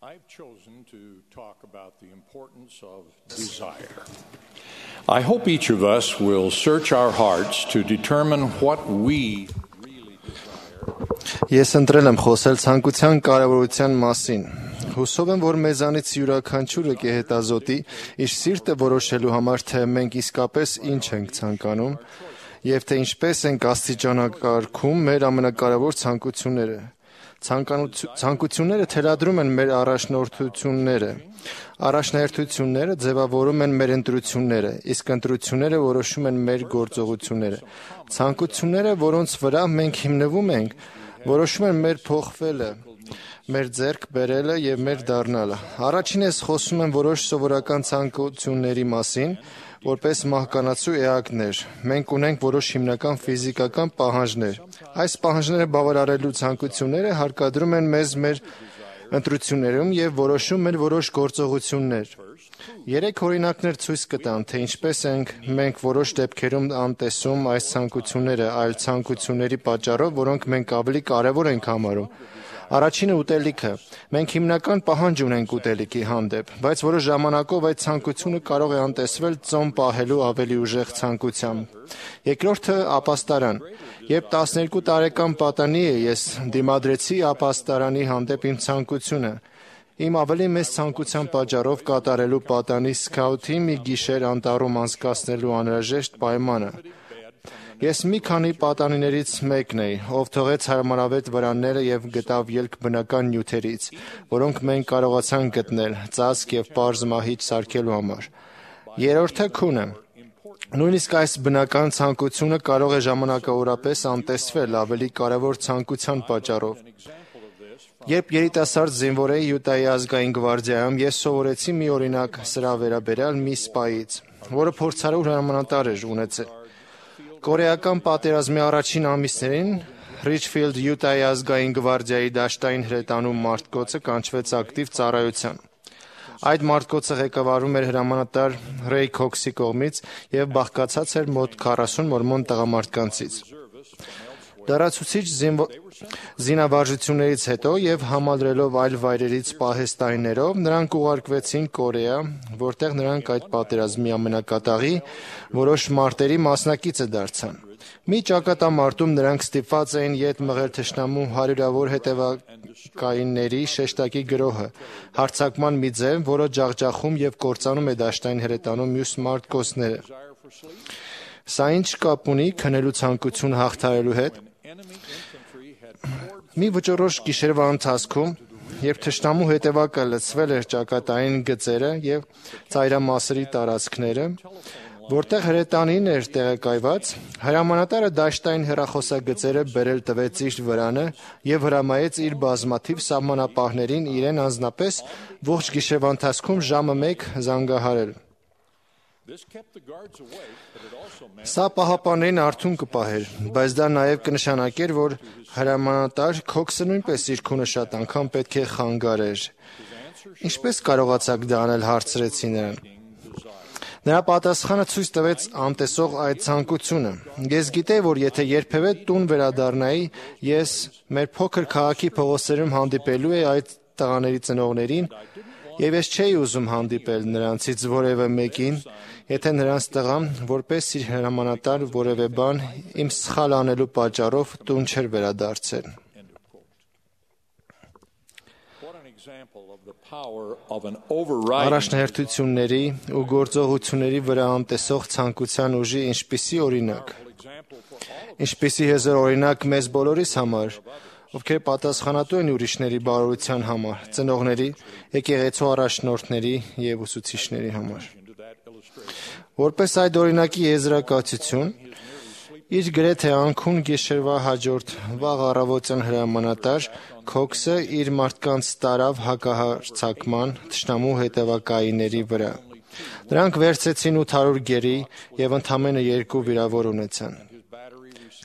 I've chosen to talk about the importance of desire. I hope each of us will search our hearts to determine what we really desire. Ես ընտրել եմ խոսել ցանկության կարևորության մասին։ Հուսով եմ, որ մեզանից յուրաքանչյուրը կհետազոտի իր սիրտը որոշելու համար, թե մենք իսկապես ինչ ենք ցանկանում եւ թե ինչպես ենք աստիճանակարգում մեր ամենակարևոր ցանկությունները։ Ցանկությունները թելադրում են մեր առաջնորդությունները։ Առաջնահերթությունները ձևավորում են մեր ընտրությունները, իսկ ընտրությունները որոշում են մեր գործողությունները։ Ցանկությունները, որոնց վրա մենք հիմնվում ենք, որոշում են մեր փոխվելը, մեր ձեռք բերելը եւ մեր դառնալը։ Առաջին ես խոսում եմ որոշ սովորական ցանկությունների մասին, որպես մահկանացու էակներ։ Մենք ունենք որոշ հիմնական ֆիզիկական պահանջներ։ Այս պահանջները բավարարելու ցանկությունները հարկադրում են մեզ մեր ընտրություններում եւ որոշում են որոշ գործողություններ։ 3 օրինակներ ցույց կտամ, թե ինչպես ենք մենք որոշ դեպքերում անտեսում այս ցանկությունները այլ ցանկությունների պատճառով, որոնք մենք ավելի կարևոր ենք համարում։ Առաջինը ուտելիքը։ Մենք հիմնական պահանջ ունենք ուտելիքի հանդեպ, բայց որոշ ժամանակով այդ ցանկությունը կարող է անտեսվել ծոմ պահելու ավելի ուժեղ ցանկությամբ։ Երկրորդը ապաստարան։ Երբ 12 տարեկան պատանի էի, ես դիմադրեցի ապաստարանի հանդեպ իմ ցանկությունը։ Իմ ավելի մեծ ցանկության պատճառով կատարելու պատանի սքաութի մի գիշեր անտառում անցկացնելու անհրաժեշտ պայմանը։ Ես մի քանի պատանիներից մեկն էի, ով թողեց հարմարավետ վրանները եւ գտավ ելք բնական նյութերից, որոնք մենք կարողացանք գտնել ծածկ եւ պարզ մահիճ սարքելու համար։ Երրորդը քունը։ Նույնիսկ այս բնական ցանկությունը կարող է ժամանակավորապես անտեսվել ավելի կարևոր ցանկության պատճառով։ Երբ երիտասարդ զինվոր էի Յուտայի ազգային գվարդիայում, ես սովորեցի մի օրինակ սրա վերաբերյալ մի սպայից, որը փորձառու հրամանատար էր ունեցել։ Կորեական պատերազմի առաջին ամիսներին Ռիչֆիլդ Յուտայի ազգային գվարդիայի դաշտային հրետանու մարտկոցը կանչվեց ակտիվ ծառայության։ Այդ մարտկոցը ղեկավարվում էր հրամանատար Ռեյ Քոքսի կողմից եւ բաղկացած էր մոտ 40 մորմոն տղամարդկանցից։ Լրացուցիչ զինավարժություններից հետո եւ համալրելով այլ վայրերից պահեստայիններով նրանք ուղարկվեցին Կորեա, որտեղ նրանք այդ պատերազմի ամենակատաղի որոշ մարտերի մասնակիցը դարձան։ Մի ճակատամարտում նրանք ստիպված էին ետ մղել թշնամու հարյուրավոր հետևակայինների շեշտակի գրոհը, հարձակման մի ձև, որը ջախջախում եւ կործանում է դաշտային հրետանու մյուս մարտկոցները։ Սա ինչ կապ ունի քնելու ցանկություն հաղթահարելու հետ։ Մի վճռորոշ գիշերվա ընթացքում, երբ թշնամու հետևակը լցվել էր ճակատային գծերը եւ ծայրամասերի տարածքները, որտեղ հրետանին էր տեղակայված, հրամանատարը դաշտային հեռախոսագծերը բերել տվեց իր վրանը եւ հրամայեց իր բազմաթիվ սահմանապահներին իրեն անձնապես ողջ գիշերվա ընթացքում ժամը 1 զանգահարել։ Սա պահապաններին արթուն կպահեր, բայց դա նաև կնշանակեր, որ հրամանատար Քոքսը նույնպես իր քունը շատ անգամ պետք է խանգարեր։ Ինչպես կարողացաք դա անել, հարցրեցի նրան։ Նրա պատասխանը ցույց տվեց անտեսող այդ ցանկությունը։ Ես գիտեի, որ եթե երբևէ տուն վերադառնայի, ես մեր փոքր քաղաքի փողոցերում հանդիպելու էի այդ տղաների ծնողներին, եւ ես չէի ուզում հանդիպել նրանցից որևէ մեկին, եթե նրանց տղան, որպես իր հրամանատար որևէ բան իմ սխալ անելու պատճառով տուն չէր վերադարձել։ Առաջնահերթությունների ու գործողությունների վրա անտեսող ցանկության ուժի ինչպիսի օրինակ։ Ինչպիսի հզոր օրինակ մեզ բոլորիս համար, ովքեր պատասխանատու են ուրիշների բարօրության համար, ծնողների, եկեղեցու առաջնորդների եւ ուսուցիչների համար։ Որպես այդ օրինակի եզրակացություն, իր գրեթե անքուն գիշերվա հաջորդ վաղ առավոտյան հրամանատար Քոքսը իր մարդկանց տարավ հակահարձակման թշնամու հետևակայինների վրա։ Նրանք վերցեցին 800 գերի եւ ընդամենը 2 վիրավոր ունեցան։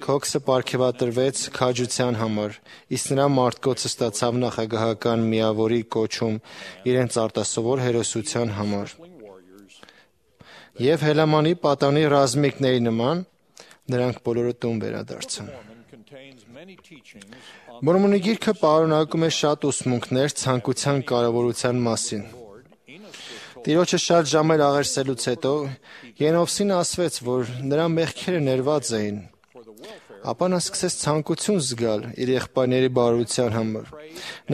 Քոքսը պարգևատրվեց քաջության համար, իսկ նրա մարտկոցը ստացավ նախագահական միավորի կոչում իրենց արտասովոր հերոսության համար։ Եվ Հելամանի պատանի ռազմիկների նման նրանք բոլորը տուն վերադարձան։ Մորմոնի գիրքը պարունակում է շատ ուսմունքներ ցանկության կարևորության մասին։ Տիրոջը շատ ժամեր աղերսելուց հետո Ենովսին ասվեց, որ նրա մեղքերը ներված էին, ապա նա սկսեց ցանկություն զգալ իր եղբայրների բարության համար։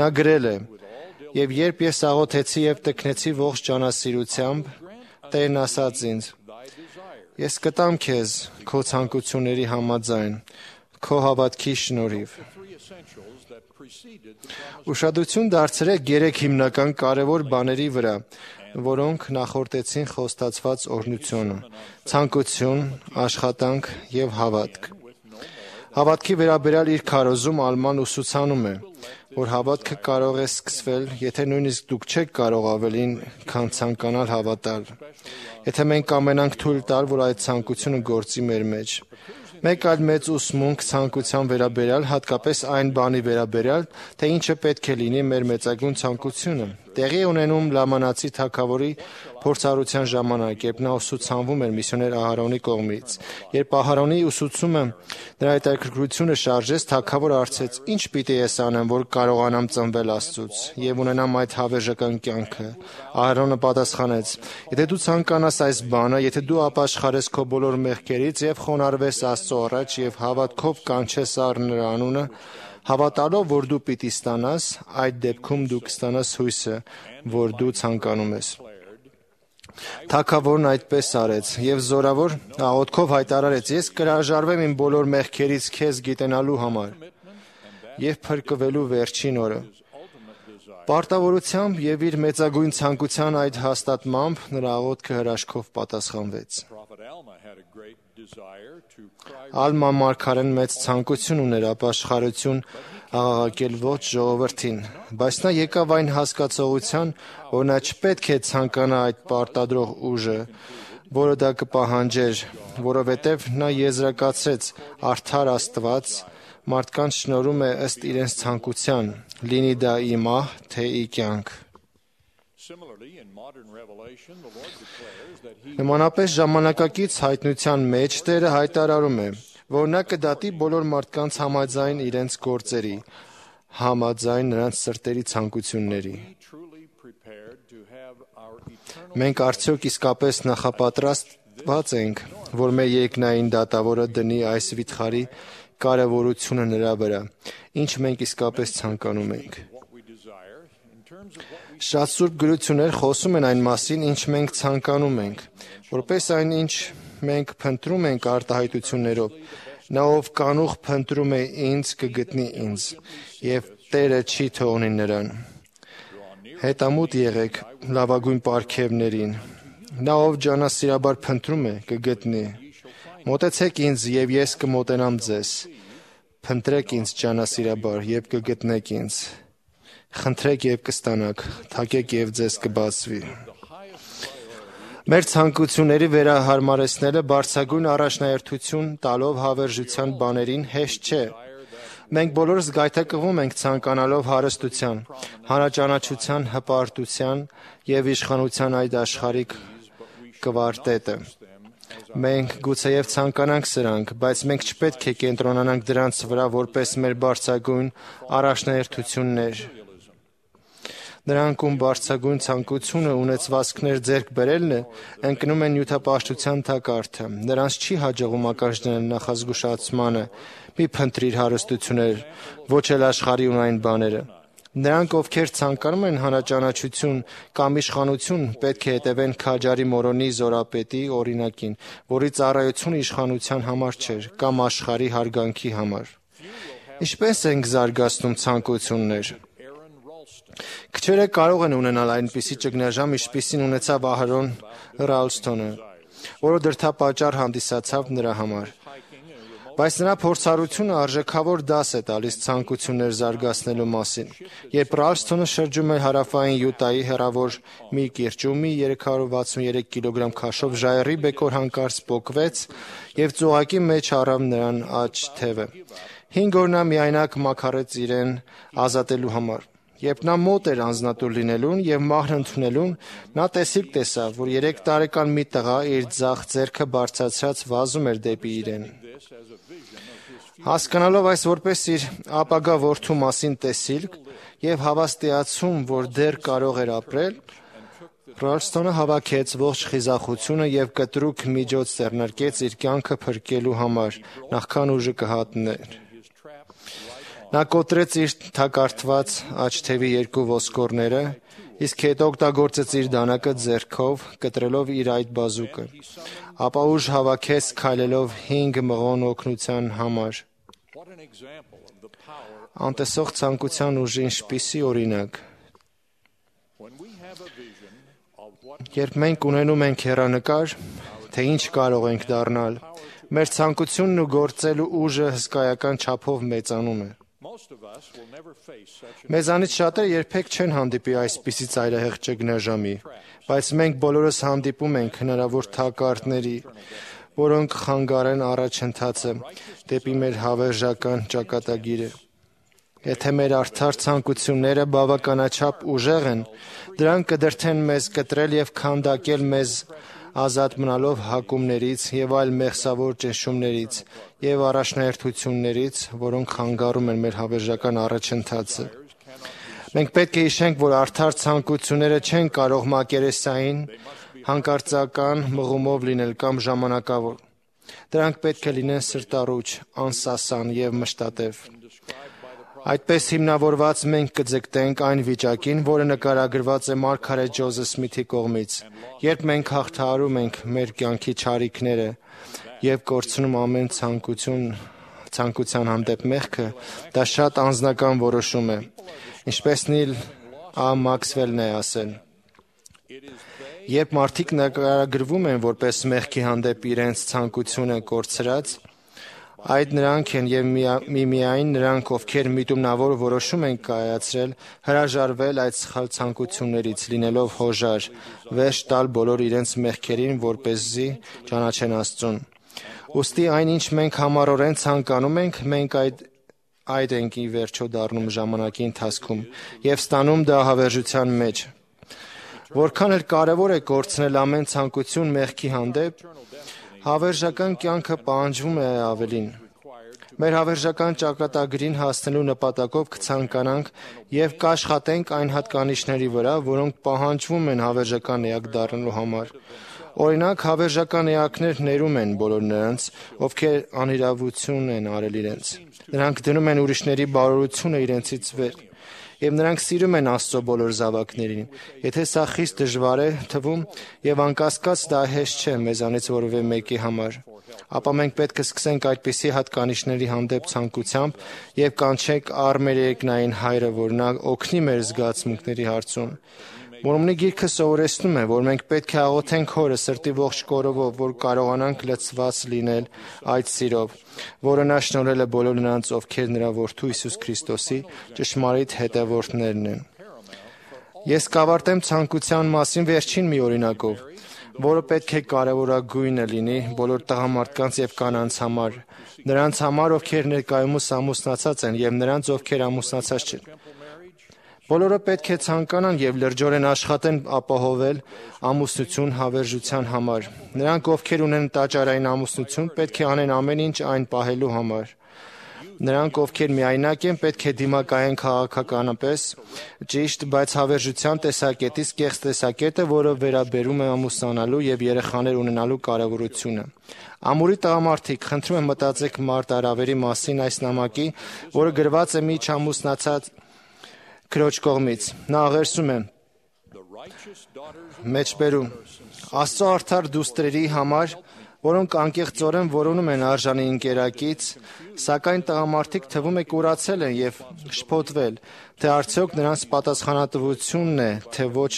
Նա գրել է. «Եվ երբ ես աղոթեցի և տքնեցի ողջ ջանասիրությամբ, Տերն ասաց ինձ. ես կտամ քեզ քո ցանկությունների համաձայն, քո հավատքի շնորհիվ»։ Ուշադրություն դարձրեք 3 հիմնական կարևոր բաների վրա, որոնք նախորդեցին խոստացված օրհնությունը՝ ցանկություն, աշխատանք և հավատք։ Հավատքի վերաբերյալ իր քարոզում Ալման ուսուցանում է, որ հավատքը կարող է սկսվել, եթե նույնիսկ դուք չեք կարող ավելին, քան ցանկանալ հավատալ, եթե մենք կամենանք թույլ տալ, որ այդ ցանկությունը գործի մեր մեջ։ Մեկ այլ մեծ ուսմունք ցանկության վերաբերյալ, հատկապես այն բանի վերաբերյալ, թե ինչը պետք է լինի մեր մեծագույն ցանկությունը, տեղի է ունենում Լամանացի թագավորի փորձառության ժամանակ, երբ նա ուսուցանվում էր միսիոներ Ահարոնի կողմից։ Երբ Ահարոնի ուսուցումը նրա հետաքրքրությունը շարժեց, թագավորը հարցրեց. «Ի՞նչ պիտի ես անեմ, որ կարողանամ ծնվել Աստծուց և ունենամ այդ հավերժական կյանքը»։ Ահարոնը պատասխանեց. «Եթե դու ցանկանաս այս բանը, եթե դու ապաշխարես քո բոլոր մեղքերից և խոնարհվես Աստծո առաջ և հավատքով կանչես առ նրա անունը, հավատալով, որ դու պիտի ստանաս, այդ դեպքում դու կստանաս հույսը, որ դու ցանկանում ես»։ Թագավորն այդպես արեց և զորավոր աղոթքով հայտարարեց. «Ես կհրաժարվեմ իմ բոլոր մեղքերից քեզ գիտենալու համար և փրկվելու վերջին օրը»։ Պարտավորությամբ և իր մեծագույն ցանկության այդ հաստատմամբ նրա աղոթքը հրաշքով պատասխանվեց։ Ալման մարգարեն մեծ ցանկություն ուներ ապաշխարություն աղաղակել ողջ ժողովրդին, բայց նա եկավ այն հասկացողության, որ նա չպետք է ցանկանա այդ պարտադրող ուժը, որը դա կպահանջեր, որովհետև նա եզրակացրեց. «Արդար Աստված մարդկանց շնորհում է ըստ իրենց ցանկության, լինի դա ի մահ, թե ի կյանք»։ Նմանապես ժամանակակից հայտնության մեջ Տերը հայտարարում է, որ նա կդատի բոլոր մարդկանց համաձայն իրենց գործերի, համաձայն նրանց սրտերի ցանկությունների։ Մենք արդյոք իսկապես նախապատրաստված ենք, որ մեր երկնային դատավորը դնի այս վիթխարի կարևորությունը նրա վրա, ինչ մենք իսկապես ցանկանում ենք։ Շատ սուրբ գրություններ խոսում են այն մասին, ինչ մենք ցանկանում ենք, որպես այն, ինչ մենք փնտրում ենք արտահայտություններով։ Նա, ով կանուխ փնտրում է ինձ, կգտնի ինձ, և Տերը չի թողնի նրան։ Հետամուտ եղեք լավագույն պարգևներին։ Նա, ով ջանասիրաբար փնտրում է, կգտնի։ Մոտեցեք ինձ, և ես կմոտենամ ձեզ։ Փնտրեք ինձ ջանասիրաբար, և կգտնեք ինձ։ Խնդրեք և կստանաք, թակեք և ձեզ կբացվի։ Մեր ցանկությունների վերահարմարեցնելը բարձրագույն առաջնահերթություն տալով հավերժության բաներին հեշտ չէ։ Մենք բոլորս գայթակղում ենք ցանկանալով հարստության, հանրաճանաչության, հպարտության և իշխանության այդ աշխարհիկ կվարտետը։ Մենք գուցեև ցանկանանք սրանք, բայց մենք չպետք է կենտրոնանանք դրանց վրա որպես մեր բարձրագույն առաջնահերթություններ։ Նրանք, ում բարձրագույն ցանկությունը ունեցվածքներ ձեռք բերելն է, ընկնում են նյութապաշտության թակարդը։ Նրանց չի հաջողում ականջ դնել նախազգուշացմանը՝ «Մի փնտրիր հարստություններ, ոչ էլ աշխարհի ունային բաները»։ Նրանք, ովքեր ցանկանում են հանրաճանաչություն կամ իշխանություն, պետք է հետևեն քաջարի Մորոնի Զորապետի օրինակին, որի ծառայությունը իշխանության համար չէր, կամ աշխարհի հարգանքի համար։ Ինչպե՞ս ենք զարգացնում ցանկություններ։ Քչերը կարող են ունենալ այնպիսի ճգնաժամ, ինչպիսին ունեցավ Ահարոն Ռալսթոնը, որը դրդապատճառ հանդիսացավ նրա համար։ Բայց նրա փորձառությունը արժեքավոր դաս է տալիս ցանկություններ զարգացնելու մասին։ Երբ Ռալսթոնը շրջում էր հարավային Յուտայի հեռավոր մի կիրճում, մի 363 կգ քաշով ժայռի բեկոր հանկարծ պոկվեց և ծուղակի մեջ առավ նրան աջ թևը։ 5 օր նա միայնակ մաքարեց իրեն ազատելու համար։ Երբ նա մոտ էր անձնատուր լինելուն և մահն ընդունելուն, նա տեսիլք տեսավ, որ 3 տարեկան մի տղա իր ձախ ձեռքը բարձրացրած վազում էր դեպի իրեն։ Հասկանալով այս որպես իր ապագա որդու մասին տեսիլք եւ հավաստիացում, որ դեռ կարող էր ապրել, Ռալսթոնը հավաքեց ողջ խիզախությունը եւ կտրուկ միջոց ձեռնարկեց իր կյանքը փրկելու համար, նախքան ուժը կհատներ։ Նա կոտրեց իր թակարդված աչթևի երկու ոսկորները, իսկ հետո օգտագործեց իր դանակը ձեռքով, կտրելով իր այդ բազուկը։ Ապա ուժ հավաքեց քայլելով 5 մղոն օգնության համար։ Անտեսող ցանկության ուժի ինչպիսի օրինակ։ Երբ մենք ունենում ենք հեռանկար, թե ինչ կարող ենք դառնալ, մեր ցանկությունն ու գործելու ուժը հսկայական չափով մեծանում է։ Մեզանից շատերը երբեք չեն հանդիպի այսպիսի ծայրահեղ ճգնաժամի, բայց մենք բոլորս հանդիպում ենք հնարավոր թակարդների, որոնք խանգարեն առաջընթացը դեպի մեր հավերժական ճակատագիրը։ Եթե մեր արդար ցանկությունները բավականաչափ ուժեղ են, դրանք կդրդեն մեզ կտրել եւ քանդակել մեզ ազատ մնալով հակումներից եւ այլ մեղսավոր ճնշումներից եւ առաջնահերթություններից, որոնք խանգարում են մեր հավերժական առաջընթացը։ Մենք պետք է հիշենք, որ արդար ցանկությունները չեն կարող մակերեսային, հանկարծական մղումով լինել կամ ժամանակավոր։ Դրանք պետք է լինեն սրտառուչ, անսասան եւ մշտատև։ Այդպես հիմնավորված մենք կձգտենք այն վիճակին, որը նկարագրված է մարգարե Ջոզեֆ Սմիթի կողմից, երբ մենք հաղթահարում ենք մեր կյանքի չարիքները եւ կորցնում ամեն ցանկության հանդեպ մեղքը, դա շատ անձնական որոշում է, ինչպես Նիլ Ա. Մաքսվելն է ասել։ Երբ մարդիկ նկարագրվում են որպես մեղքի հանդեպ իրենց ցանկությունը կորցրած, այդ նրանք են եւ միայն նրանք, ովքեր միտումնավոր որոշում են կայացրել, հրաժարվել այդ սխալ ցանկություններից, լինելով հոժար, վերջ տալ բոլոր իրենց մեղքերին, որպեսզի ճանաչեն Աստծուն։ Ուստի այն, ինչ մենք համառորեն ցանկանում ենք, մենք այդ ենք ի վերջո դառնում ժամանակի ընթացքում եւ ստանում դա հավերժության մեջ։ Որքան էլ կարևոր է կորցնել ամեն ցանկություն մեղքի հանդեպ, հավերժական կյանքը պահանջվում է ավելին։ Մեր հավերժական ճակատագրին հասնելու նպատակով կցանկանանք եւ կաշխատենք այն հատկանիշների վրա, որոնք պահանջվում են հավերժական էակ դառնալու համար։ Օրինակ, հավերժական էակներ ներում են բոլոր նրանց, ովքեր անիրավություն են արել իրենց։ Նրանք դնում են ուրիշների բարօրությունը իրենցից վեր։ Եվ նրանք սիրում են Աստծո բոլոր զավակներին։ Եթե սա խիստ դժվար է թվում եւ անկասկած դա հեշտ չէ մեզանից որևէ մեկի համար, ապա մենք պետք է սկսենք այդպիսի հատկանիշների հանդեպ ցանկությամբ եւ կանչենք առ մեր երկնային Հայրը, որ նա օգնի մեր զգացմունքների հարցում։ Մորմոնի գիրքը սովորեցնում է, որ մենք պետք է աղոթենք Հորը սրտի ողջ կորովով, որ կարողանանք լցված լինել այդ սիրով, որը նա շնորհել է բոլոր նրանց, ովքեր նրա որդու Հիսուս Քրիստոսի ճշմարիտ հետևորդներն են։ Ես կավարտեմ ցանկության մասին վերջին մի օրինակով, որը պետք է կարևորագույնը լինի բոլոր տղամարդկանց եւ կանանց համար, նրանց համար, ովքեր ներկայումս ամուսնացած են եւ նրանց, ովքեր ամուսնացած չեն։ Բոլորը պետք է ցանկանան եւ լրջորեն աշխատեն ապահովել ամուսնություն հավերժության համար։ Նրանք, ովքեր ունեն տաճարային ամուսնություն, պետք է անեն ամեն ինչ այն պահելու համար։ Նրանք, ովքեր միայնակ են, պետք է դիմակայեն քաղաքականապես ճիշտ, բայց հավերժության տեսակետից կեղծ տեսակետը, որը վերաբերում է ամուսնանալու եւ երեխաներ ունենալու կարեւորությունը։ Ամուրի տղամարդիկ, խնդրում եմ մտածեք մարտահրավերի մասին այս նամակի, որը գրված է մի չամուսնացած քրոջ կողմից։ Նա աղերսում է. Մեջբերում Աստծո արդար դուստրերի համար, որոնք անկեղծորեն որոնում են արժանի ընկերակից, սակայն տղամարդիկ թվում է կուրացել են եւ շփոթվել, թե արդյոք նրանց պատասխանատվությունն է, թե ոչ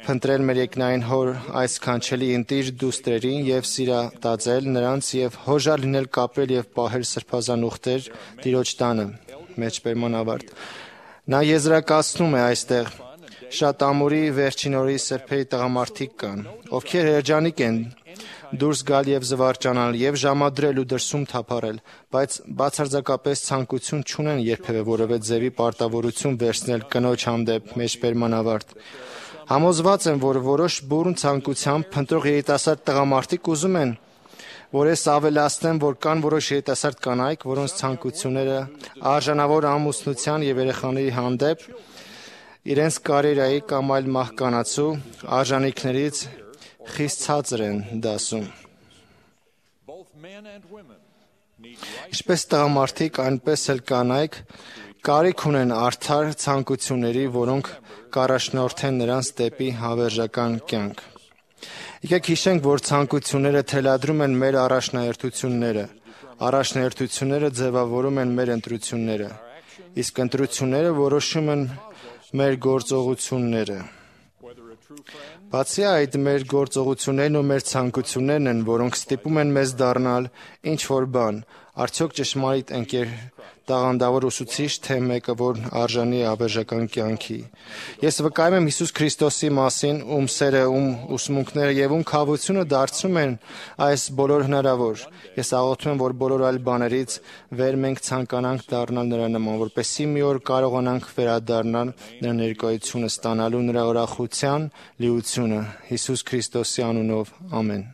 փնտրել մեր երկնային Հոր այս կանչելի ընտիր դուստրերին եւ սիրատաձել նրանց եւ հոժար լինել կապրել եւ պահել սրբազան ուխտեր Տիրոջ տանը։ Մեջբերման ավարտ։ Նա եզրակացնում է այստեղ. շատ ամուրի վերջին օրի սրբերի տղամարդիկ կան, ովքեր երջանիկ են դուրս գալ եւ զվարճանալ եւ ժամադրել ու դրսում թափառել, բայց բացարձակապես ցանկություն չունեն երբևէ որևէ ձևի պարտավորություն վերցնել կնոջ հանդեպ։ Մեջբերման ավարտ։ Համոզված եմ, որ որոշ բուրըն ցանկությամբ փնտրող երիտասարդ տղամարդիկ ուզում են, որ ես ավելացնեմ, որ կան որոշ երիտասարդ կանայք, որոնց ցանկությունները արժանավոր ամուսնության եւ երեխաների հանդեպ իրենց կարիերայի կամ այլ մահկանացու արժանինքներից խիստ ցածր են դասում։ Ինչպես տղամարդիկ, այնպես էլ կանայք կարիք ունեն արդար ցանկությունների, որոնք կառաջնորդեն նրանց դեպի հավերժական կյանք։ Եկեք հիշենք, որ ցանկությունները թելադրում են մեր առաջնահերթությունները, առաջնահերթությունները ձևավորում են մեր ընտրությունները, իսկ ընտրությունները որոշում են մեր գործողությունները։ Բացի այդ, մեր գործողություններն ու մեր ցանկություններն են, որոնք ստիպում են մեզ դառնալ ինչ-որ բան, արդյոք ճշմարիտ ընկեր, տաղանդավոր ուսուցիչ, թե մեկը, որ արժանի է հավերժական կյանքի։ Ես վկայում եմ Հիսուս Քրիստոսի մասին, ում սերը, ում ուսմունքները եւ ում քավությունը դարձնում են այս բոլոր հնարավոր։ Ես աղոթում եմ, որ բոլոր այլ բաներից վեր մենք ցանկանանք դառնալ նրա նման, որպեսզի մի օր կարողանանք վերադառնալ նրա ներկայությունը, ստանալու նրա ուրախության լիությունը։ Հիսուս Քրիստոսի անունով, ամեն։